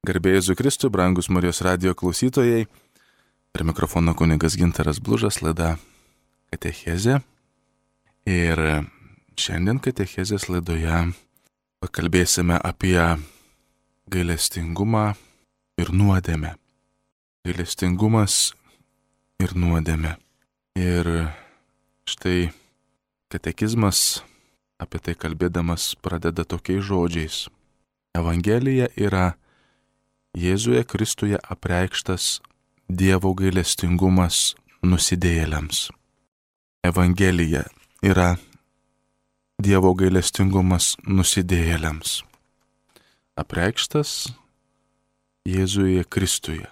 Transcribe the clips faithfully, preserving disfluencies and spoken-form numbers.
Garbė Jėzui Kristui, brangus Marijos radijo klausytojai. Prie mikrofono kunigas Gintaras Blužas, laida Katechezė. Ir šiandien Katechezės laidoje pakalbėsime apie gailestingumą ir nuodėmę. Gailestingumas ir nuodėmė. Ir štai katekizmas apie tai kalbėdamas pradeda tokiais žodžiais. Evangelija yra Jėzuje Kristuje apreikštas Dievo gailestingumas nusidėjėliams. Evangelija yra Dievo gailestingumas nusidėjėliams. Apreikštas Jėzuje Kristuje.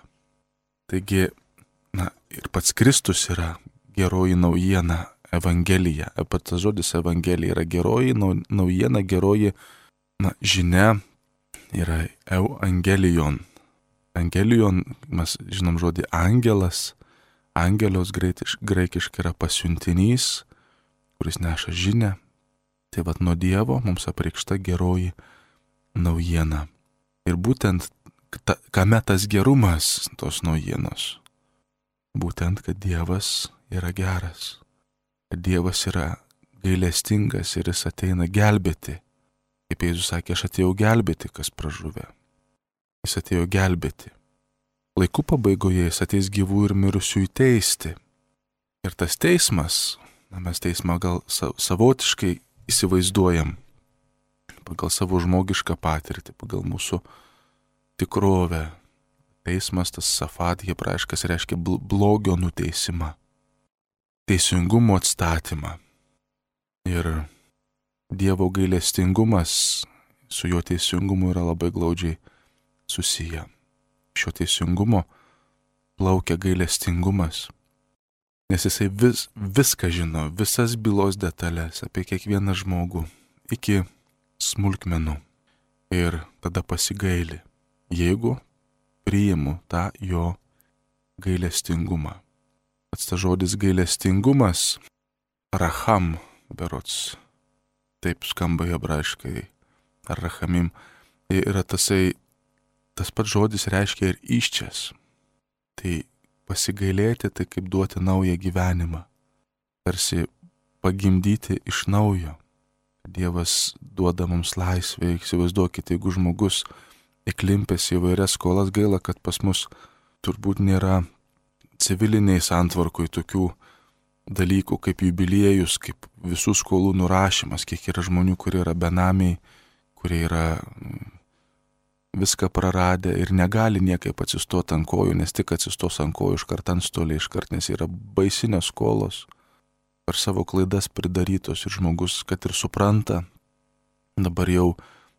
Taigi, na, ir pats Kristus yra geroji naujiena, Evangelija. Pats žodis Evangelija yra geroji naujiena, geroji na, žinia yra Evangelion. Angelion, mes žinom žodį angelas, angelios graikiškai yra pasiuntinys, kuris neša žinią. Tai vat nuo Dievo mums apreikšta geroji naujiena. Ir būtent ta, kame tas gerumas tos naujienos? Būtent, kad Dievas yra geras, kad Dievas yra gailestingas ir jis ateina gelbėti. Kaip Jėzus sakė, aš atėjau gelbėti, kas pražuvę. Jis atėjo gelbėti. Laikų pabaigoje jis ateis gyvų ir mirusiųjų teisti. Ir tas teismas, na, mes teismą gal savotiškai įsivaizduojam pagal savo žmogišką patirtį, pagal mūsų tikrovę. Teismas, tas safat hebrajiškas, reiškia blogio nuteisimą, teisingumo atstatymą. Ir Dievo gailestingumas su jo teisingumu yra labai glaudžiai susiję. Šio teisingumo plaukia gailestingumas, nes jisai vis, viską žino, visas bylos detalės apie kiekvieną žmogų, iki smulkmenų. Ir tada pasigaili, jeigu priimu tą jo gailestingumą. Pats tas žodis gailestingumas, racham berods, taip skamba hebrajiškai, ar rachamim, yra tasai, tas pats žodis reiškia ir iščias. Tai pasigailėti, tai kaip duoti naują gyvenimą, tarsi pagimdyti iš naujo. Dievas duoda mums laisvę, įsivaizduokite, jeigu žmogus įklimpęs į vairias skolas, gaila, kad pas mus turbūt nėra civiliniai santvarkoj tokių dalykų kaip jubiliejus, kaip visų skolų nurašymas, kiek yra žmonių, kurie yra benamiai, kurie yra viską praradę ir negali niekaip atsistoti ant kojų, nes tik atsistos ant kojų iškart antstoliai, iškart, nes yra baisinės skolos per savo klaidas pridarytos ir žmogus, kad ir supranta dabar jau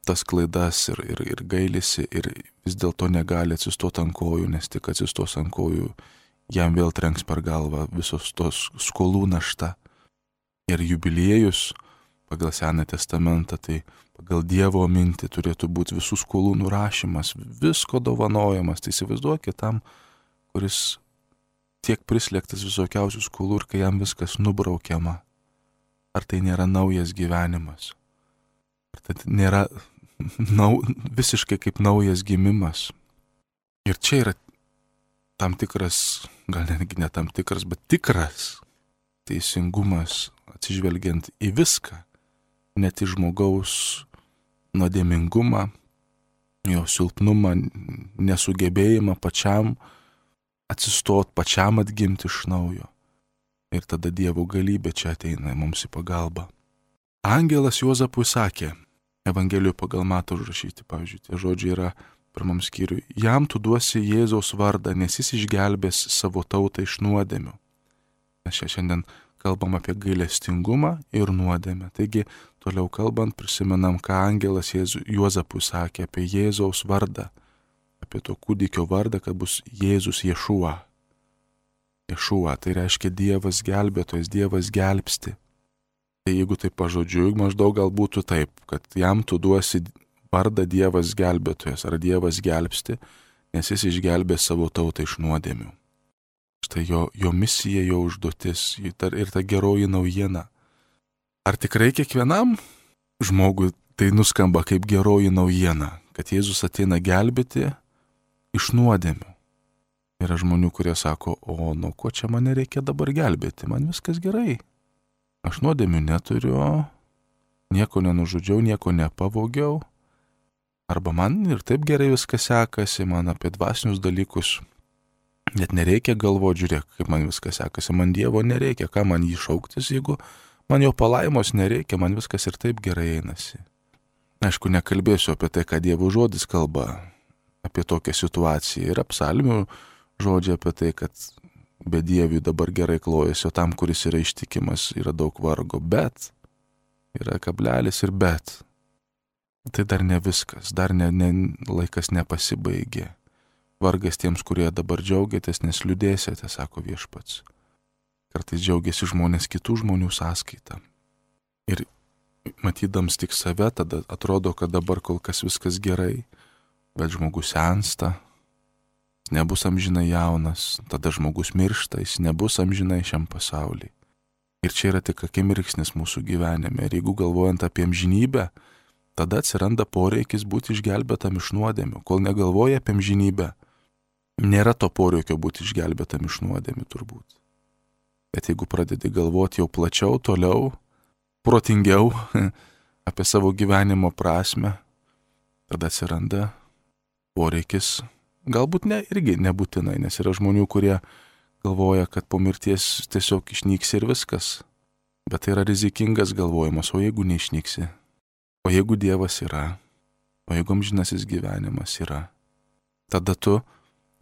tas klaidas ir, ir, ir gailisi ir vis dėlto negali atsistoti ant kojų, nes tik atsistos ant kojų jam vėl trenks per galvą visos tos skolų našta. Ir jubiliejus pagal Senąjį testamentą, tai pagal Dievo mintį turėtų būti visų skolų nurašymas, visko dovanojamas. Tai įsivaizduokit tam, kuris tiek prislėgtas visokiausių skolų ir kai jam viskas nubraukiama. Ar tai nėra naujas gyvenimas? Ar tai nėra nau, visiškai kaip naujas gimimas? Ir čia yra tam tikras, gal netgi ne tam tikras, bet tikras teisingumas atsižvelgiant į viską. Net į žmogaus nuodėmingumą, jo silpnumą, nesugebėjimą pačiam atsistot, pačiam atgimti iš naujo. Ir tada Dievo galybė čia ateina mums į pagalbą. Angelas Juozapui sakė, Evangelijoje pagal Matą užrašyti, pavyzdžiui, tie žodžiai yra pirmam skyriui, jam tu duosi Jėzaus vardą, nes jis išgelbės savo tautą iš nuodėmių. Mes čia šiandien kalbam apie gailestingumą ir nuodėmę. Taigi, toliau kalbant, prisimenam, ką angelas Jėzu, Juozapui sakė apie Jėzaus vardą, apie to kūdikio vardą, kad bus Jėzus Ješua. Ješua, tai reiškia Dievas gelbėtojas, Dievas gelbsti. Tai jeigu tai pažodžiui, maždaug gal būtų taip, kad jam tu duosi vardą Dievas gelbėtojas ar Dievas gelbsti, nes jis išgelbė savo tautą iš nuodėmių. Štai jo, jo misija, jo užduotis ir ta geroji naujiena. Ar tikrai kiekvienam žmogui tai nuskamba kaip geroji naujiena, kad Jėzus ateina gelbėti iš nuodėmių. Yra žmonių, kurie sako, o nuo ko čia mane reikia dabar gelbėti, man viskas gerai. Aš nuodėmių neturiu, nieko nenužudžiau, nieko nepavogiau. Arba man ir taip gerai viskas sekasi, man apie dvasinius dalykus net nereikia galvoti, žiūrėk, kaip man viskas sekasi, man Dievo nereikia, ką man jį šauktis, jeigu man jo palaimos nereikia, man viskas ir taip gerai einasi. Aišku, nekalbėsiu apie tai, ką Dievo žodis kalba apie tokią situaciją. Yra psalmių žodžiai apie tai, kad be Dievių dabar gerai klojasi, o tam, kuris yra ištikimas, yra daug vargo, bet yra kablelis ir bet. Tai dar ne viskas, dar ne, ne, laikas nepasibaigė. Vargas tiems, kurie dabar džiaugiatės, nes liūdėsite, sako Viešpats. Kartais džiaugiasi žmonės kitų žmonių sąskaitą. Ir matydams tik save, tada atrodo, kad dabar kol kas viskas gerai, bet žmogus sensta, nebus amžinai jaunas, tada žmogus miršta, jis nebus amžinai šiam pasauliui. Ir čia yra tik akimirksnis mūsų gyvenime. Ir jeigu galvojant apie amžinybę, tada atsiranda poreikis būti išgelbėtam iš nuodėmių. Kol negalvoja apie amžinybę, nėra to poreikio būti išgelbėtam iš nuodėmių turbūt. Bet jeigu pradedi galvoti jau plačiau, toliau, protingiau apie savo gyvenimo prasme, tada atsiranda poreikis, galbūt ne, irgi nebūtinai, nes yra žmonių, kurie galvoja, kad po mirties tiesiog išnyksi ir viskas. Bet tai yra rizikingas galvojimas, o jeigu neišnyksi, o jeigu Dievas yra, o jeigu amžinasis gyvenimas yra, tada tu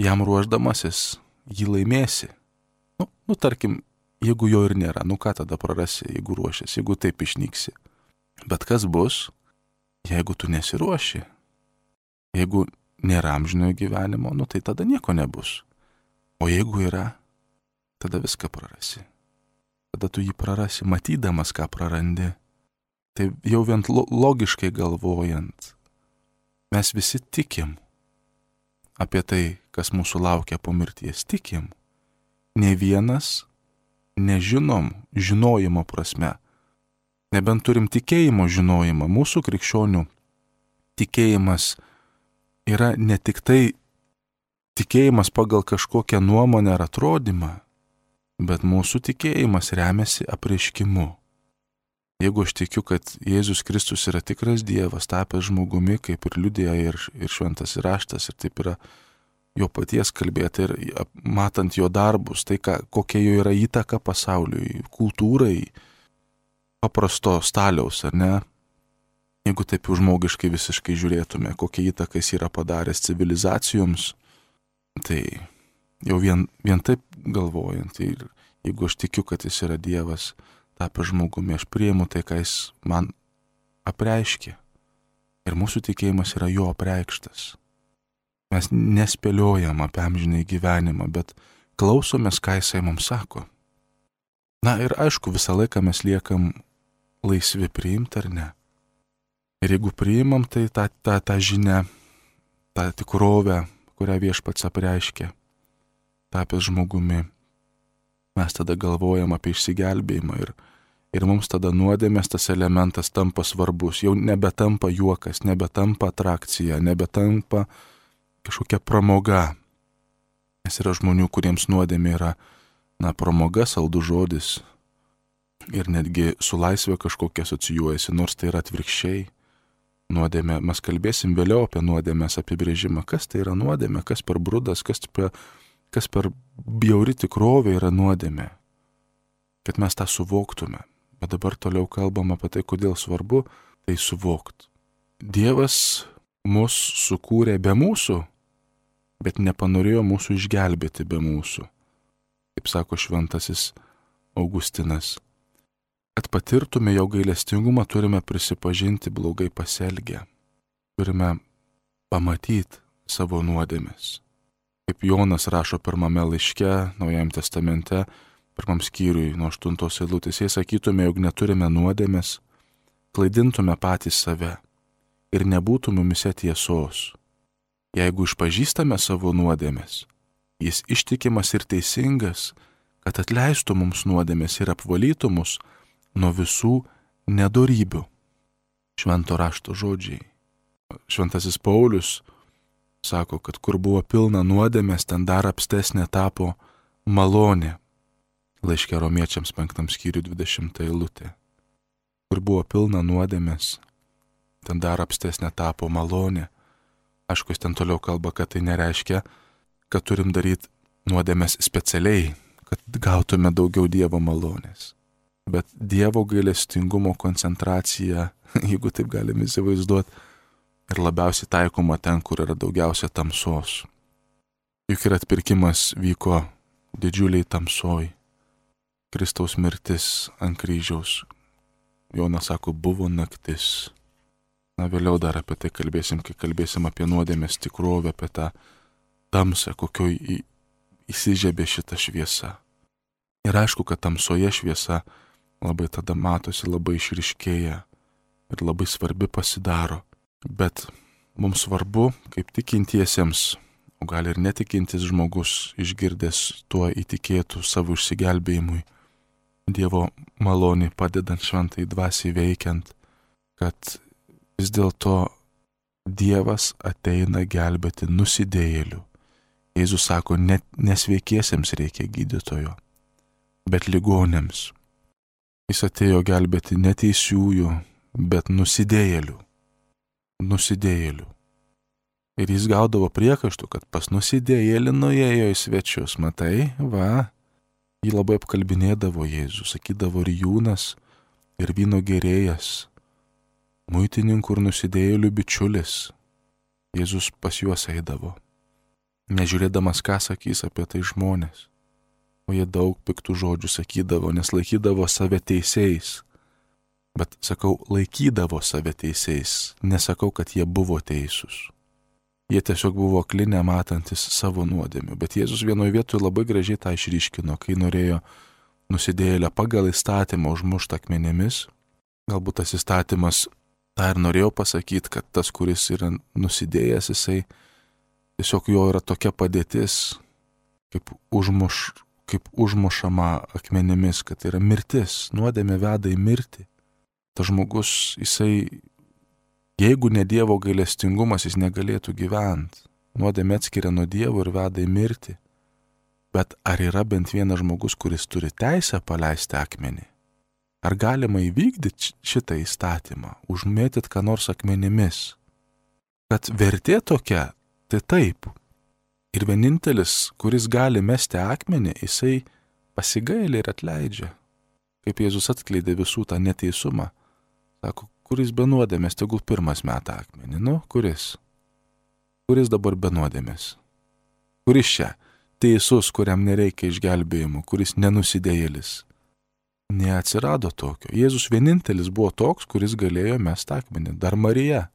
jam ruošdamasis jį laimėsi. Nu, nu tarkim, jeigu jo ir nėra, nu ką tada prarasi, jeigu ruošiasi, jeigu taip išnyksi. Bet kas bus, jeigu tu nesiruoši? Jeigu nėra amžinojo gyvenimo, nu tai tada nieko nebus. O jeigu yra, tada viską prarasi. Tada tu jį prarasi, matydamas, ką prarandi. Tai jau vien logiškai galvojant, mes visi tikim apie tai, kas mūsų laukia po mirties. Tikim. Ne vienas nežinom žinojimo prasme. Nebent turim tikėjimo žinojimą. Mūsų krikščionių tikėjimas yra ne tik tai tikėjimas pagal kažkokią nuomonę ar atrodymą, bet mūsų tikėjimas remiasi apreiškimu. Jeigu aš tikiu, kad Jėzus Kristus yra tikras Dievas, tapęs žmogumi, kaip ir liudija ir, ir šventas raštas, ir taip yra jo paties kalbėti, ir matant jo darbus, tai ką, kokia jo yra įtaka pasauliui, kultūrai, paprasto staliaus, ar ne? Jeigu taip jau žmogiškai visiškai žiūrėtume, kokia įtaka jis yra padaręs civilizacijoms, tai jau vien, vien taip galvojant, ir jeigu aš tikiu, kad jis yra Dievas, tapęs žmogumi, aš priimu tai, ką jis man apreiškė. Ir mūsų tikėjimas yra jo apreikštas. Mes nespėliojam apie amžinąjį gyvenimą, bet klausomės, ką jisai mums sako. Na ir aišku, visą laiką mes liekam laisvi priimti ar ne. Ir jeigu priimam, tai tą, tą, tą žinią, tą tikrovę, kurią Viešpats apreiškė, tapęs žmogumi, mes tada galvojam apie išsigelbėjimą ir, ir mums tada nuodėmės tas elementas tampa svarbus, jau nebetampa juokas, nebetampa atrakcija, nebetampa kažkokia pramoga. Nes yra žmonių, kuriems nuodėmė yra, na, pramoga, saldus žodis ir netgi su laisvė kažkokia asocijuojasi, nors tai yra atvirkščiai. Nuodėmė, mes kalbėsim vėliau apie nuodėmės apibrėžimą, kas tai yra nuodėmė, kas per brudas, kas per kas per bjauri tikrovė yra nuodėmė, kad mes tą suvoktume. Bet dabar toliau kalbam apie tai, kodėl svarbu tai suvokti. Dievas mus sukūrė be mūsų, bet nepanorėjo mūsų išgelbėti be mūsų. Kaip sako šventasis Augustinas, kad patirtume jo gailestingumą, turime prisipažinti blogai pasielgę. Turime pamatyti savo nuodėmes. Kaip Jonas rašo pirmame laiške, Naujajame testamente, pirmam skyriui nuo aštuntos eilutės, jei sakytume, jog neturime nuodėmės, klaidintume patys save ir nebūtų mumise tiesos. Jeigu išpažįstame savo nuodėmės, jis ištikimas ir teisingas, kad atleistų mums nuodėmės ir apvalytų mus nuo visų nedorybių. Švento rašto žodžiai. Šventasis Paulius sako, kad kur buvo pilna nuodėmės, ten dar apstesnė tapo malonė. Laiške Romiečiams penktam skyriui dvidešimta eilutė. Kur buvo pilna nuodėmės, ten dar apstesnė tapo malonė. Aišku, jis ten toliau kalba, kad tai nereiškia, kad turim daryti nuodėmės specialiai, kad gautume daugiau Dievo malonės. Bet Dievo gailestingumo koncentracija, jeigu taip galim įsivaizduoti, ir labiausiai taikoma ten, kur yra daugiausia tamsos. Juk ir atpirkimas vyko didžiuliai tamsoj. Kristaus mirtis ant kryžiaus. Jonas sako, buvo naktis. Na, vėliau dar apie tai kalbėsim, kai kalbėsim apie nuodėmės tikrovę, apie tą tamsą, kokioj įsižiebė šita šviesa. Ir aišku, kad tamsoje šviesa labai tada matosi, labai išryškėja ir labai svarbi pasidaro. Bet mums svarbu, kaip tikintiesiems, o gal ir netikintis žmogus išgirdęs tuo įtikėtų savo išsigelbėjimui, Dievo malonį padedant šventai dvasiai veikiant, kad vis dėlto Dievas ateina gelbėti nusidėjėlių. Jėzus sako, net nesveikiesiems reikia gydytojo, bet ligonėms. Jis atėjo gelbėti neteisiųjų, bet nusidėjėlių. nusidėjėlių. Ir jis gaudavo priekaištų, kad pas nusidėjėlį nuėjo į svečius. Matai, va, jį labai apkalbinėdavo Jėzus, sakydavo rijūnas ir vyno gerėjas, muitininkų ir nusidėjėlių bičiulis. Jėzus pas juos eidavo, nežiūrėdamas, ką sakys apie tai žmonės. O jie daug piktų žodžių sakydavo, nes laikydavo save teisėjais. Bet sakau, laikydavo save teisėjais, nesakau, kad jie buvo teisūs. Jie tiesiog buvo akli, nematantis savo nuodėmių. Bet Jėzus vienoje vietoje labai gražiai tą išryškino, kai norėjo nusidėjėlę pagal įstatymą užmušti akmenėmis. Galbūt tas įstatymas tą ir norėjo pasakyti, kad tas, kuris yra nusidėjęs, jisai tiesiog jo yra tokia padėtis, kaip, užmuš, kaip užmušama akmenėmis, kad tai yra mirtis, nuodėmė veda į mirtį. Tas žmogus, jisai, jeigu ne Dievo gailestingumas, jis negalėtų gyventi. Nuodėmė atskiria nuo Dievo ir veda į mirtį. Bet ar yra bent vienas žmogus, kuris turi teisę paleisti akmenį? Ar galima įvykdyti šitą įstatymą, užmėtyti ką nors akmenimis? Kad vertė tokia, tai taip. Ir vienintelis, kuris gali mesti akmenį, jisai pasigailė ir atleidžia. Kaip Jėzus atskleidė visų tą neteisumą. Sako, kuris be nuodėmės, tegul pirmas meta akmenį. Nu, kuris? Kuris dabar be nuodėmės? Kuris čia? Teisus, kuriam nereikia išgelbėjimo, kuris nenusidėjėlis. Neatsirado tokio. Jėzus vienintelis buvo toks, kuris galėjo mesti akmenį. Dar Marija.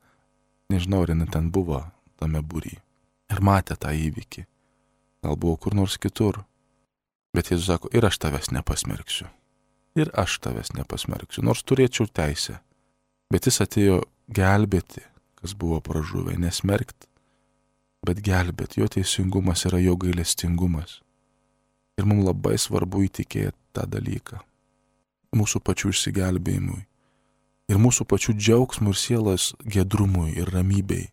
Nežinau, ar jinai ten buvo tame būry. Ir matė tą įvykį. Gal buvo kur nors kitur. Bet Jėzus sako, ir aš tavęs nepasmerksiu. Ir aš tavęs nepasmerksiu, nors turėčiau teisę. Bet jis atėjo gelbėti, kas buvo pražuvę, nesmerkti, bet gelbėti. Jo teisingumas yra jo gailestingumas. Ir mums labai svarbu įtikėti tą dalyką. Mūsų pačių išsigelbėjimui. Ir mūsų pačių džiaugsmų ir sielos gedrumui ir ramybei.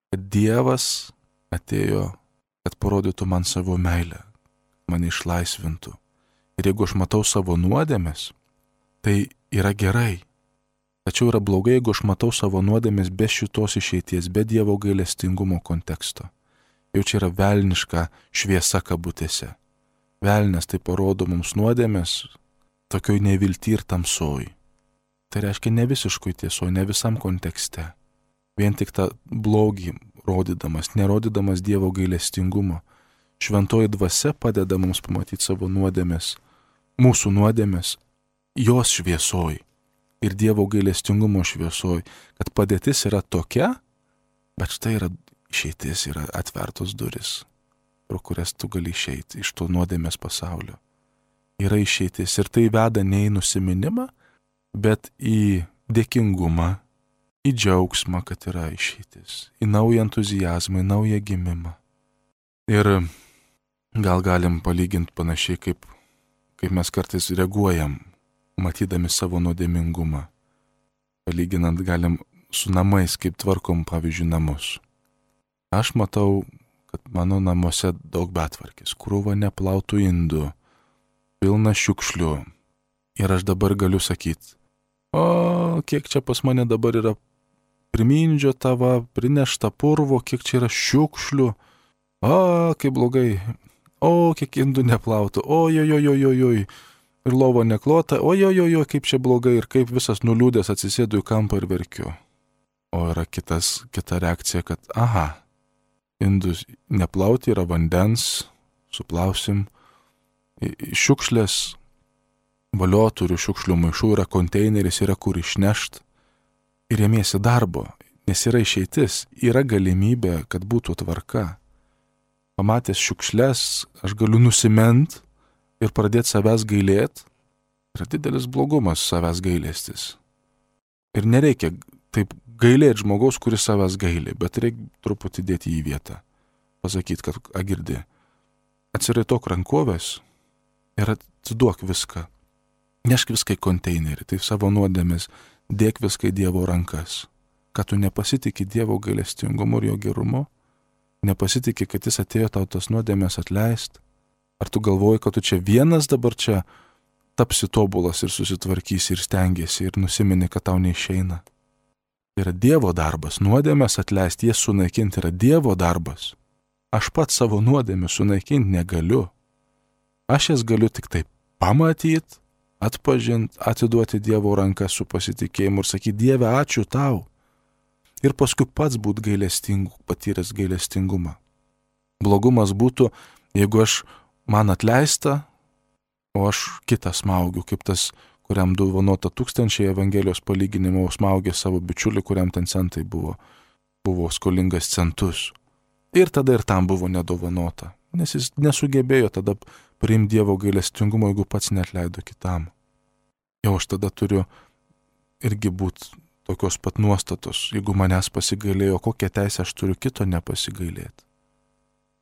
Kad Dievas atėjo, kad parodytų man savo meilę, mane išlaisvintų. Ir jeigu aš matau savo nuodėmes, tai yra gerai. Tačiau yra blogai, jeigu aš matau savo nuodėmes be šitos išeities, be Dievo gailestingumo konteksto. Jau čia yra velniška šviesa kabutėse. Velnes tai parodo mums nuodėmes tokioj nevilty ir tamsoj. Tai reiškia ne visiškai tieso, ne visam kontekste. Vien tik tą blogį rodydamas, nerodydamas Dievo gailestingumo. Šventoji dvasia padeda mums pamatyti savo nuodėmes, mūsų nuodėmes, jos šviesoj ir Dievo gailestingumo šviesoj, kad padėtis yra tokia, bet štai yra išeitis, yra atvertos duris, pro kurias tu gali išeiti iš to nuodėmės pasaulio. Yra išeitis ir tai veda ne į nusiminimą, bet į dėkingumą, į džiaugsmą, kad yra išeitis, į naują entuzijazmą, į naują gimimą. Ir gal galim palyginti panašiai, kaip, kaip mes kartais reaguojam, matydami savo nuodėmingumą. Palyginant galim su namais, kaip tvarkom, pavyzdžiui, namus. Aš matau, kad mano namuose daug betvarkės, krūva neplautų indų, pilna šiukšlių. Ir aš dabar galiu sakyti, o kiek čia pas mane dabar yra primindžio tava, prinešta purvo, kiek čia yra šiukšlių, o kaip blogai, o kiek indų neplautų, ojojojojojoj, ir lovo neklota, ojojojoj, kaip čia blogai, ir kaip visas nuliūdęs atsisėdu į kampą ir verkiu. O yra kitas, kita reakcija, kad aha, indus neplauti, yra vandens, suplausim, šiukšlės, valio turiu šiukšlių maišų, yra konteineris, yra kur išnešt ir ėmiesi darbo, nes yra išeitis, yra galimybė, kad būtų tvarka. Pamatęs šiukšlės, aš galiu nusimint ir pradėti savęs gailėt. Yra didelis blogumas savęs gailestis. Ir nereikia taip gailėti žmogaus, kuris savęs gailė, bet reikia truputį dėti į vietą. Pasakyti, kad agirdi, atsiraitok rankovės ir atiduok viską. Nešk viską į konteinerį, tai savo nuodėmės, dėk viską į Dievo rankas. Kad tu nepasitikė Dievo gailestingumu ir jo gerumu, nepasitikė, kad jis atėjo tau tas nuodėmės atleist. Ar tu galvoji, kad tu čia vienas dabar čia tapsi tobulas ir susitvarkysi ir stengiesi ir nusimeni, kad tau neišeina. Tai yra Dievo darbas, nuodėmės atleisti, jas sunaikinti yra Dievo darbas. Aš pats savo nuodėmę sunaikinti negaliu. Aš jas galiu tik taip pamatyti, atpažinti, atiduoti Dievo ranką su pasitikėjimu ir sakyti, Dieve, ačiū tau. Ir paskui pats būt gailestingu, patyręs gailestingumą. Blogumas būtų, jeigu aš man atleista, o aš kitą smaugiu, kaip tas, kuriam dovanota tūkstančiai Evangelijos palyginimo smaugė savo bičiulį, kuriam ten centai buvo, buvo skolingas centus. Ir tada ir tam buvo nedovanota, nes jis nesugebėjo tada priimti Dievo gailestingumo, jeigu pats neatleido kitam. Jau aš tada turiu irgi būti tokios pat nuostatos, jeigu manęs pasigailėjo, kokią teisę aš turiu kito nepasigailėti.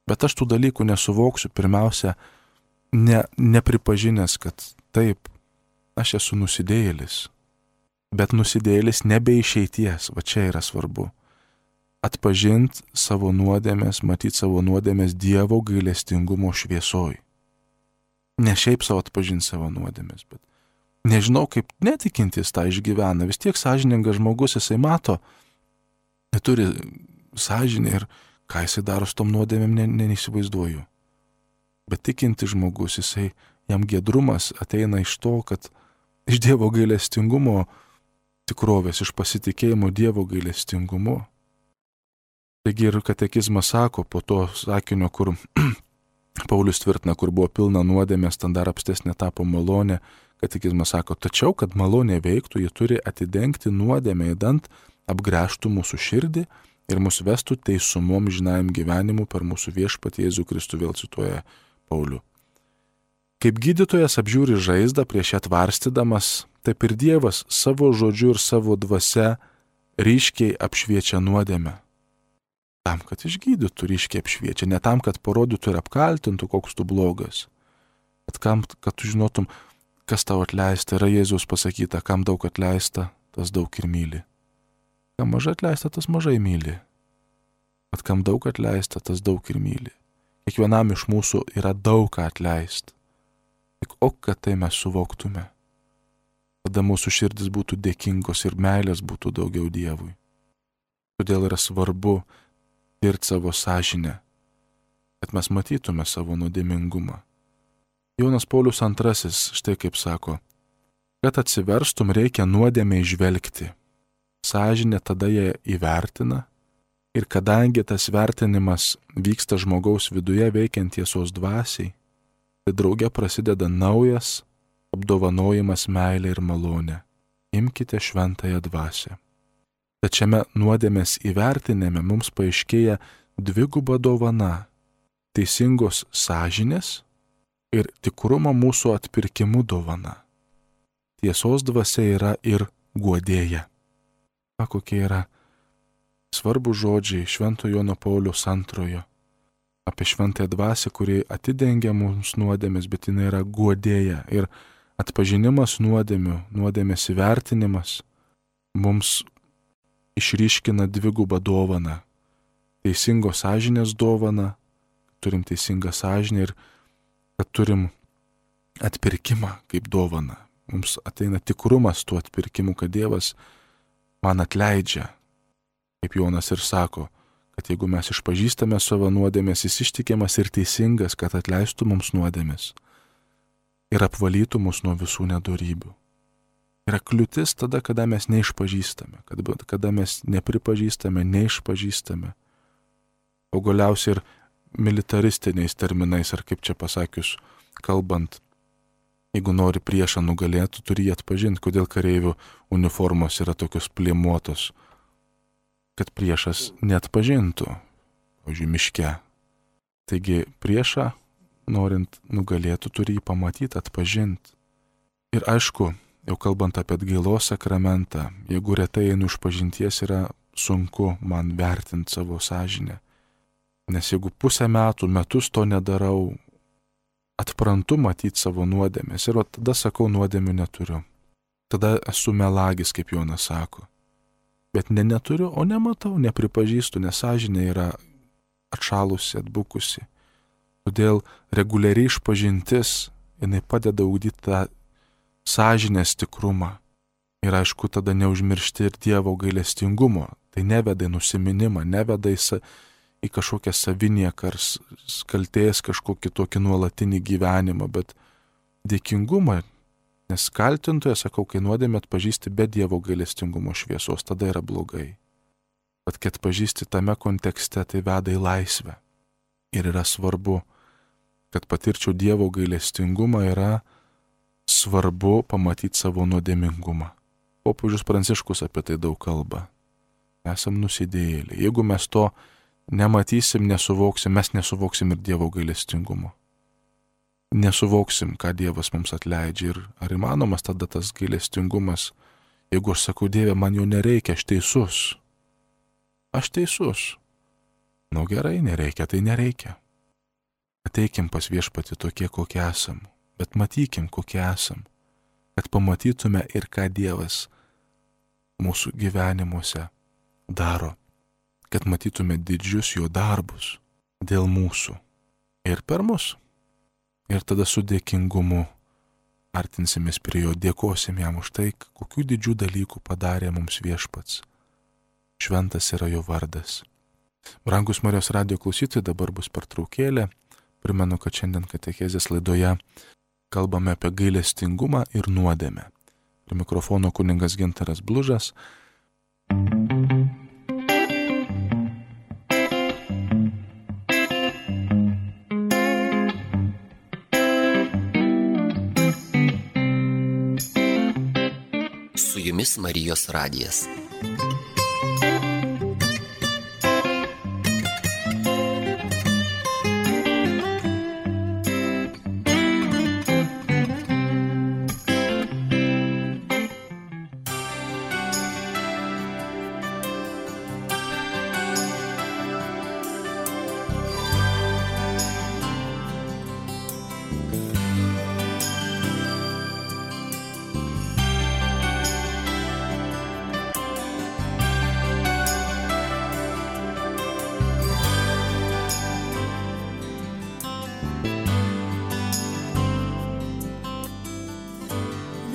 Bet aš tų dalykų nesuvoksiu, pirmiausia, ne, nepripažinęs, kad taip, aš esu nusidėjėlis, bet nusidėjėlis nebe išeities, va čia yra svarbu. Atpažinti savo nuodėmės, matyti savo nuodėmės Dievo gailestingumo šviesoj. Ne šiaip savo atpažinti savo nuodėmės, bet nežinau, kaip netikintis tą išgyvena. Vis tiek sąžiningas žmogus, jisai mato, turi sąžinę ir ką jisai daro su tom nuodėmėm, ne, ne, neįsivaizduoju. Bet tikintis žmogus, jisai, jam giedrumas ateina iš to, kad iš Dievo gailestingumo tikrovės, iš pasitikėjimo Dievo gailestingumu. Taigi ir katekizmas sako, po to sakinio, kur Paulius tvirtina, kur buvo pilna nuodėmės, ten dar apstesnė tapo malonė, katekizmas sako, tačiau, kad malonė veiktų, ji turi atidengti nuodėmę įdant, apgręžtų mūsų širdį ir mus vestų teisumom žinajam gyvenimu per mūsų viešpatį Jėzų Kristų, vėl cituoja Paulių. Kaip gydytojas apžiūri žaizdą prieš ją tvarstydamas, taip ir Dievas savo žodžiu ir savo dvasia ryškiai apšviečia nuodėmę. Tam, kad išgydytų, ryškiai apšviečia, ne tam, kad parodytų ir apkaltintų, koks tu blogas, bet kam, kad tu žinotum, kas tau atleista. Yra Jėzus pasakyta, kam daug atleista, tas daug ir myli. Kam mažai atleista, tas mažai myli. Bet kam daug atleista, tas daug ir myli. Kiekvienam iš mūsų yra daug ką atleist. Tik o, kad tai mes suvoktume. Tada mūsų širdis būtų dėkingos ir meilės būtų daugiau Dievui. Todėl yra svarbu tirti savo sąžinę, kad mes matytume savo nuodėmingumą. Jonas Paulius antrasis štai kaip sako, kad atsiverstum reikia nuodėmę įžvelgti. Sąžinė tada ją įvertina ir kadangi tas vertinimas vyksta žmogaus viduje veikiant tiesos dvasiai, tai drauge prasideda naujas apdovanojimas meilė ir malonė. Imkite šventąją dvasią. Tačiame nuodėmės įvertinime mums paaiškėja dviguba dovana - teisingos sąžinės ir tikrumo mūsų atpirkimu dovana. Tiesos dvasia yra ir guodėja. A, kokie yra svarbus žodžiai Švento Jono Pauliaus antrojo apie šventąją dvasią, kuri atidengia mums nuodėmės, bet jinai yra guodėja. Ir atpažinimas nuodėmių, nuodėmės įvertinimas mums išryškina dvigubą dovaną. teisingos sąžinės dovaną, turim teisingą sąžinę ir kad turim atpirkimą kaip dovaną. Mums ateina tikrumas tuo atpirkimu, kad Dievas man atleidžia. Kaip Jonas ir sako, kad jeigu mes išpažįstame savo nuodėmės, jis ištikimas ir teisingas, kad atleistų mums nuodėmės ir apvalytų mus nuo visų nedorybių. Yra kliūtis tada, kada mes neišpažįstame, kada, kada mes nepripažįstame, neišpažįstame. O galiausiai ir militaristiniais terminais, ar kaip čia pasakius, kalbant, jeigu nori priešą nugalėti, turi jį atpažinti, kodėl kareivių uniformos yra tokios plėmuotos, kad priešas neatpažintų, pavyzdžiui, miške. Taigi priešą, norint nugalėti, turi jį pamatyti, atpažinti. Ir aišku, jau kalbant apie atgailos sakramentą, jeigu retai einu išpažinties, yra sunku man vertinti savo sąžinę. Nes jeigu pusę metų, metus to nedarau, atprantu matyti savo nuodėmės ir tada sakau, nuodėmių neturiu. Tada esu melagis, kaip Jonas sako. Bet ne neturiu, o nematau, nepripažįstu, nes sąžinė yra atšalusi, atbukusi. Todėl reguliariai išpažintis, jinai padeda ugdyti tą sąžinės tikrumą. Ir aišku, tada neužmiršti ir Dievo gailestingumo. Tai neveda į nusiminimą, neveda į, sa, į kažkokią savinieką ar kaltės kažkokį tokį nuolatinį gyvenimą, bet dėkingumą. Nes kaltintoje, sakau, kai nuodėmę atpažįsti be Dievo gailestingumo šviesos, tada yra blogai. Bet kad atpažįsti tame kontekste, tai veda į laisvę. Ir yra svarbu, kad patirčiau Dievo gailestingumą, yra svarbu pamatyti savo nuodėmingumą. Popiežius Pranciškus apie tai daug kalba. Esam nusidėjėliai. Jeigu mes to nematysim, nesuvoksim, mes nesuvoksim ir Dievo gailestingumo. Nesuvoksim, ką Dievas mums atleidžia ir ar įmanomas tada tas gailestingumas, jeigu aš sakau, Dieve, man jo nereikia, aš teisus. Aš teisus. Nu gerai, nereikia, tai nereikia. Ateikim pas Viešpatį tokie, kokie esam, bet matykim, kokie esam, kad pamatytume ir ką Dievas mūsų gyvenimuose daro, kad matytume didžius jo darbus dėl mūsų ir per mus. Ir tada su dėkingumu artinsimės prie jo, dėkosim jam už tai, kokių didžių dalykų padarė mums Viešpats. Šventas yra jo vardas. Brangus Marijos radijo klausytojai, dabar bus pertraukėlė. Primenu, kad šiandien katechezės laidoje kalbame apie gailestingumą ir nuodėmę. Prie mikrofono kunigas Gintaras Blužas. Su jumis Marijos radijas.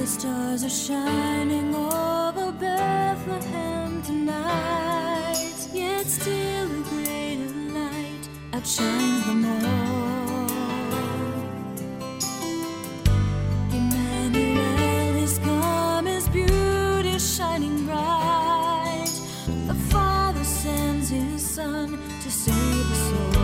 The stars are shining over Bethlehem tonight, yet still a greater light outshines them all. Emmanuel, His come, His beauty shining bright. The Father sends His Son to save us all.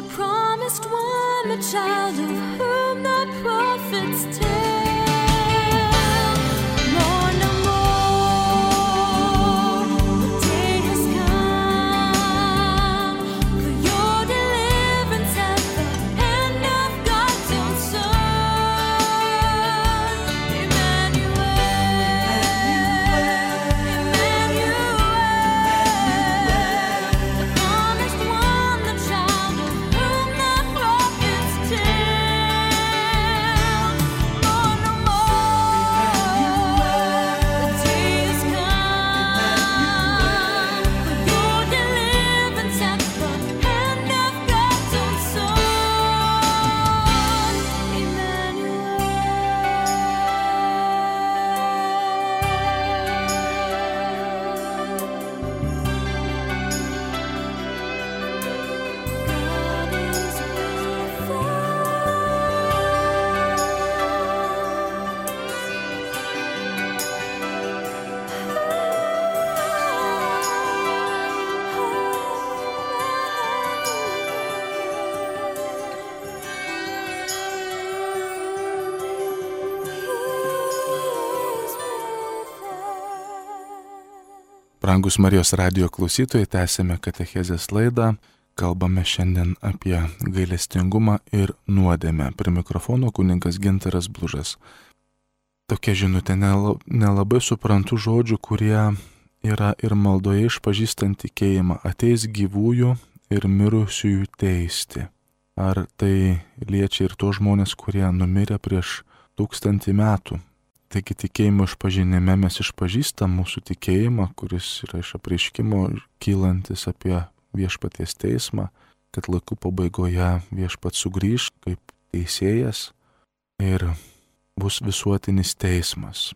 the promised one, the child of whom the prophets tell. More, no more, the day has come for your deliverance at the hand of God's own Son. Emmanuel, Emmanuel, the promised one, the child of whom the prophets tell. More, no more, the day has come for your deliverance at the hand of God's own Son. Brangus Marijos radijo klausytojai, tęsėme katechezės laidą, kalbame šiandien apie gailestingumą ir nuodėmę. Prie mikrofono kunigas Gintaras Blužas. Tokia žinutė, nela- nelabai suprantu žodžių, kurie yra ir maldoje išpažįstant tikėjimą. Ateis gyvųjų ir mirusiųjų teisti. Ar tai liečia ir tos žmonės, kurie numirė prieš tūkstantį metų? Taigi tikėjimo išpažinime mes išpažįstam mūsų tikėjimą, kuris yra iš apreiškimo kylantis apie viešpaties teismą, kad laikų pabaigoje viešpat sugrįš kaip teisėjas ir bus visuotinis teismas.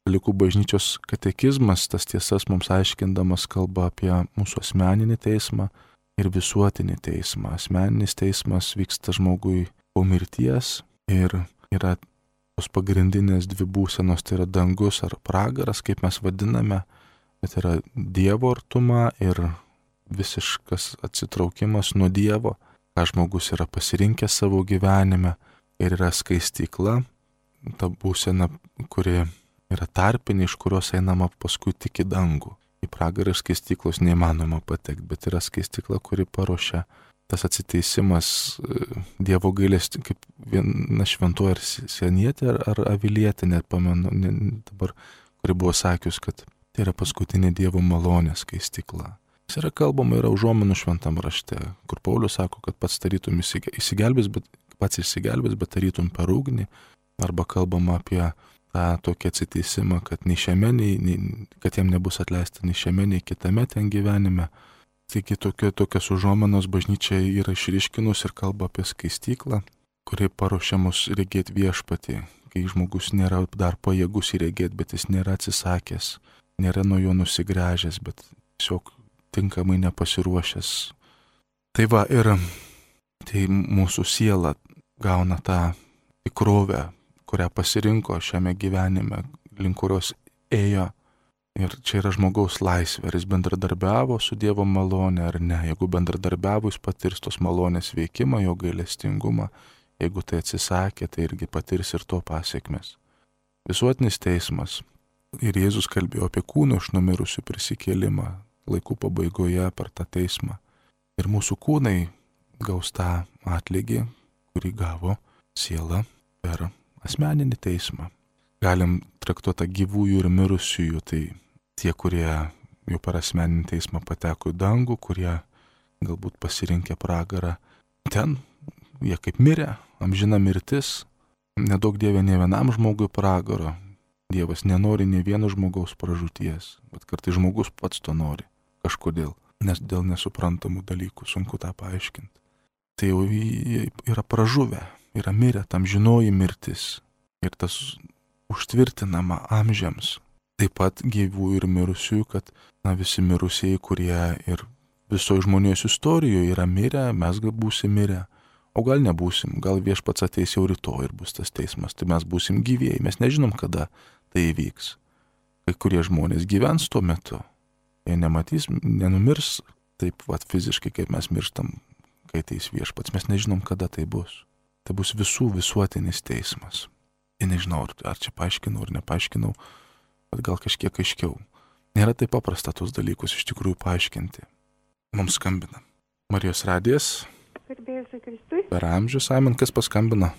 Katalikų bažnyčios katekizmas tas tiesas mums aiškindamas kalba apie mūsų asmeninį teismą ir visuotinį teismą. Asmeninis teismas vyksta žmogui po mirties ir yra tos pagrindinės dvi būsenos, tai yra dangus ar pragaras, kaip mes vadiname, bet yra Dievo artuma ir visiškas atsitraukimas nuo Dievo, ką žmogus yra pasirinkęs savo gyvenime, ir yra skaistykla, ta būsena, kuri yra tarpinė, iš kurios einama paskui tik į dangų. Į pragarą iš skaistyklos neįmanoma patekti, bet yra skaistykla, kuri paruošia tas atsiteisimas Dievo gailestį, kaip viena šventoji ar senietė ar, ar avilietė, net pamenu, ne, dabar, kuri buvo sakius, kad tai yra paskutinė Dievo malonės skaistykla. Jis yra kalbama, yra užuominų šventam rašte, kur Paulius sako, kad pats tarytum įsigelbės, bet pats įsigelbės, bet tarytum per ugnį, arba kalbama apie tą tokį atsiteisimą, kad nei šiame, nei, nei, kad jam nebus atleista nei šiame, nei kitame ten gyvenime. Taigi tokia, tokias užuomenos bažnyčia yra išryškinus ir kalba apie skaistyklą, kuri paruošia mus regėti viešpatį, kai žmogus nėra dar pajėgus įregėti, bet jis nėra atsisakęs, nėra nuo jo nusigręžęs, bet tiesiog tinkamai nepasiruošęs. Tai va, ir tai mūsų siela gauna tą tikrovę, kurią pasirinko šiame gyvenime, link kurios ėjo. Ir čia yra žmogaus laisvė, ar jis bendradarbiavo su Dievo malonė ar ne. Jeigu bendradarbiavo, jis patirs tos malonės veikimą, jo gailestingumą. Jeigu tai atsisakė, tai irgi patirs ir to pasiekmes. Visuotinis teismas. Ir Jėzus kalbėjo apie kūno iš numirusių prisikėlimą laikų pabaigoje per tą teismą. Ir mūsų kūnai gaus tą atlygį, kurį gavo siela per asmeninį teismą. Galim traktuoti gyvųjų ir mirusiųjų, tai tie, kurie jau per asmeninį teismą pateko į dangų, kurie galbūt pasirinkė pragarą. Ten jie kaip mirė, amžina mirtis, nedaug Dieve ne vienam žmogui pragaro. Dievas nenori ne vieno žmogaus pražūties, bet kartais žmogus pats to nori kažkodėl, nes dėl nesuprantamų dalykų sunku tą paaiškinti. Tai jau yra pražuvę, yra mirę, tam žinoji mirtis ir tas užtvirtinama amžiams. Taip pat gyvų ir mirusiųjų, kad na, visi mirusieji, kurie ir visoje žmonijos istorijoje yra mirę, mes gal būsim mirę, o gal nebūsim, gal viešpats ateis jau rytoj ir bus tas teismas, tai mes būsim gyvieji, mes nežinom, kada tai įvyks. Kai kurie žmonės gyvens tuo metu, jie nematys, nenumirs taip vat fiziškai, kaip mes mirštam, kai ateis viešpats. Mes nežinom, kada tai bus. Tai bus visų visuotinis teismas. Ir nežinau, ar čia paaiškinau, ar nepaaiškinau, bet gal kažkiek aiškiau. Nėra taip paprasta tos dalykus iš tikrųjų paaiškinti. Mums skambina Marijos radijas. Garbėsiu Kristui. Per amžius, Amen, kas paskambina?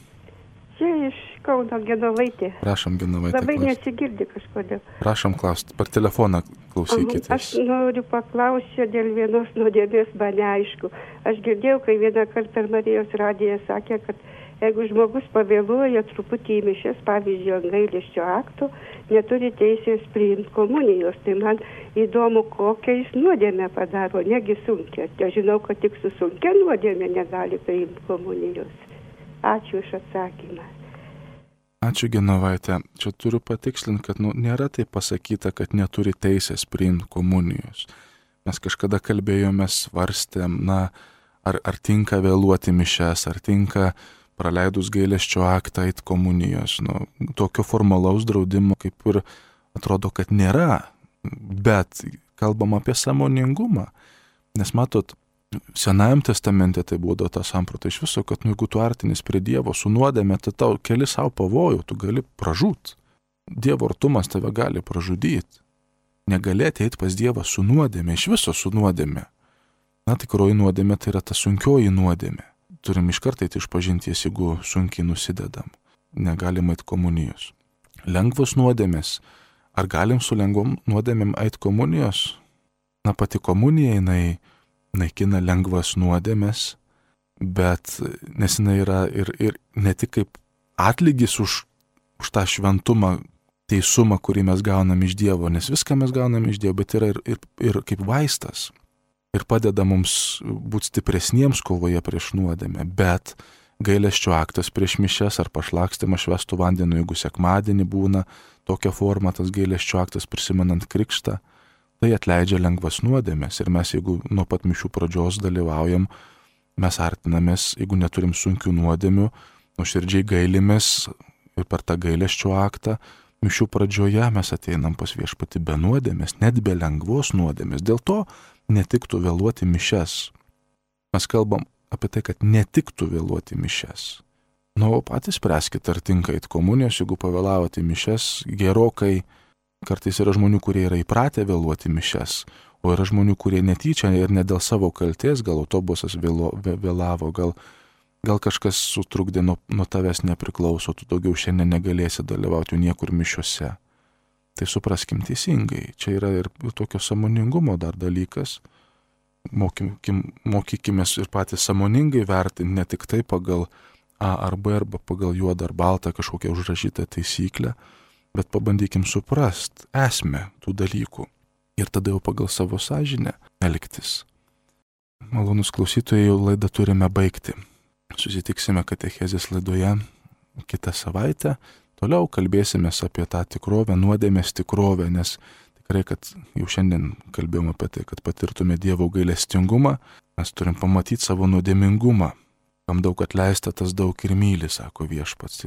Čia iš Kauno Genovaitė. Prašom, Genovaitė. Labai klausti. nesigirdi kažkodėl. Prašom klausti, per telefoną klausykitės. Aš noriu paklausyti dėl vienos nuodėmės, man neaišku. Aš girdėjau, kai vieną kartą per Marijos radiją sakė, kad jeigu žmogus pavėluoja truputį į mišes, pavyzdžiui, ant gailesčio akto, neturi teisės priimti komunijos. Tai man įdomu, kokią jis nuodėmę padaro, negi sunkia. Aš žinau, kad tik su sunkia nuodėmė negali priimti komunijos. Ačiū už atsakymą. Ačiū, Genovaitė. Čia turiu patikslinti, kad nu, nėra tai pasakyta, kad neturi teisės priimti komunijos. Mes kažkada kalbėjome, svarstėm, na, ar, ar tinka vėluoti mišes, ar tinka praleidus gailesčio aktą eit komunijos. Nu, tokio formalaus draudimo kaip ir atrodo, kad nėra, bet kalbam apie sąmoningumą. Nes matot, Senajam testamente tai būdavo ta samprata iš viso, kad nu, jeigu tu artinis prie Dievo su nuodėme, tai tau keli savo pavojų, tu gali pražūt. Dievo artumas tave gali pražudyti. Negali ateiti pas Dievą su nuodėme, iš viso su nuodėme. Na, tikroji nuodėme tai yra ta sunkioji nuodėme. Turim iš karto eiti išpažinties, jeigu sunkiai nusidedam. Negalim eit komunijos. Lengvos nuodėmės. Ar galim su lengvom nuodėmėm eit komunijos? Na, pati komunija, jinai naikina lengvas nuodėmės, bet nes jinai yra ir, ir ne tik kaip atlygis už, už tą šventumą, teisumą, kurį mes gaunam iš Dievo, nes viską mes gaunam iš Dievo, bet yra ir, ir, ir kaip vaistas. Ir padeda mums būti stipresniems kovoje prieš nuodėmę, bet gailesčio aktas prieš mišes ar pašlakstymas švęstų vandeniu, jeigu sekmadienį būna tokia forma, tas gailesčio aktas prisimenant krikštą, tai atleidžia lengvas nuodėmės. Ir mes, jeigu nuo pat mišių pradžios dalyvaujam, mes artinamės, jeigu neturim sunkių nuodėmių, nuoširdžiai gailimės ir per tą gailesčio aktą, mišių pradžioje mes ateinam pas viešpatį be nuodėmės, net be lengvos nuodėmės. Dėl to netiktų vėluoti mišes. Mes kalbam apie tai, kad netiktų vėluoti mišes. Nu, o patys spręskite, ar tinka eit komunijos, jeigu pavėlavote mišes gerokai. Kartais yra žmonių, kurie yra įpratę vėluoti mišes, o yra žmonių, kurie netyčia ir ne dėl savo kaltės, gal autobusas vėlo, vėlavo, gal, gal kažkas sutrukdė nuo, nuo tavęs nepriklauso, tu daugiau šiandien negalėsi dalyvauti niekur mišiuose. Tai supraskim teisingai, čia yra ir tokio sąmoningumo dar dalykas. Mokykim, mokykimės ir patys sąmoningai vertinti, ne tik tai pagal A ar B arba pagal juodą ar baltą kažkokią užrašytą taisyklę, bet pabandykim suprast esmę tų dalykų ir tada jau pagal savo sąžinę elgtis. Malonus klausytojai, jau laidą turime baigti. Susitiksime katechezės laidoje kitą savaitę. Toliau kalbėsime apie tą tikrovę, nuodėmės tikrovę, nes tikrai, kad jau šiandien kalbėjome apie tai, kad patirtume Dievo gailestingumą, mes turim pamatyti savo nuodėmingumą. Kam daug atleista, tas daug ir myli, sako viešpats.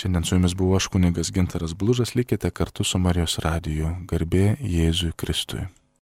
Šiandien su jumis buvo aš kunigas Gintaras Blužas, likite kartu su Marijos radiju. Garbė Jėzui Kristui.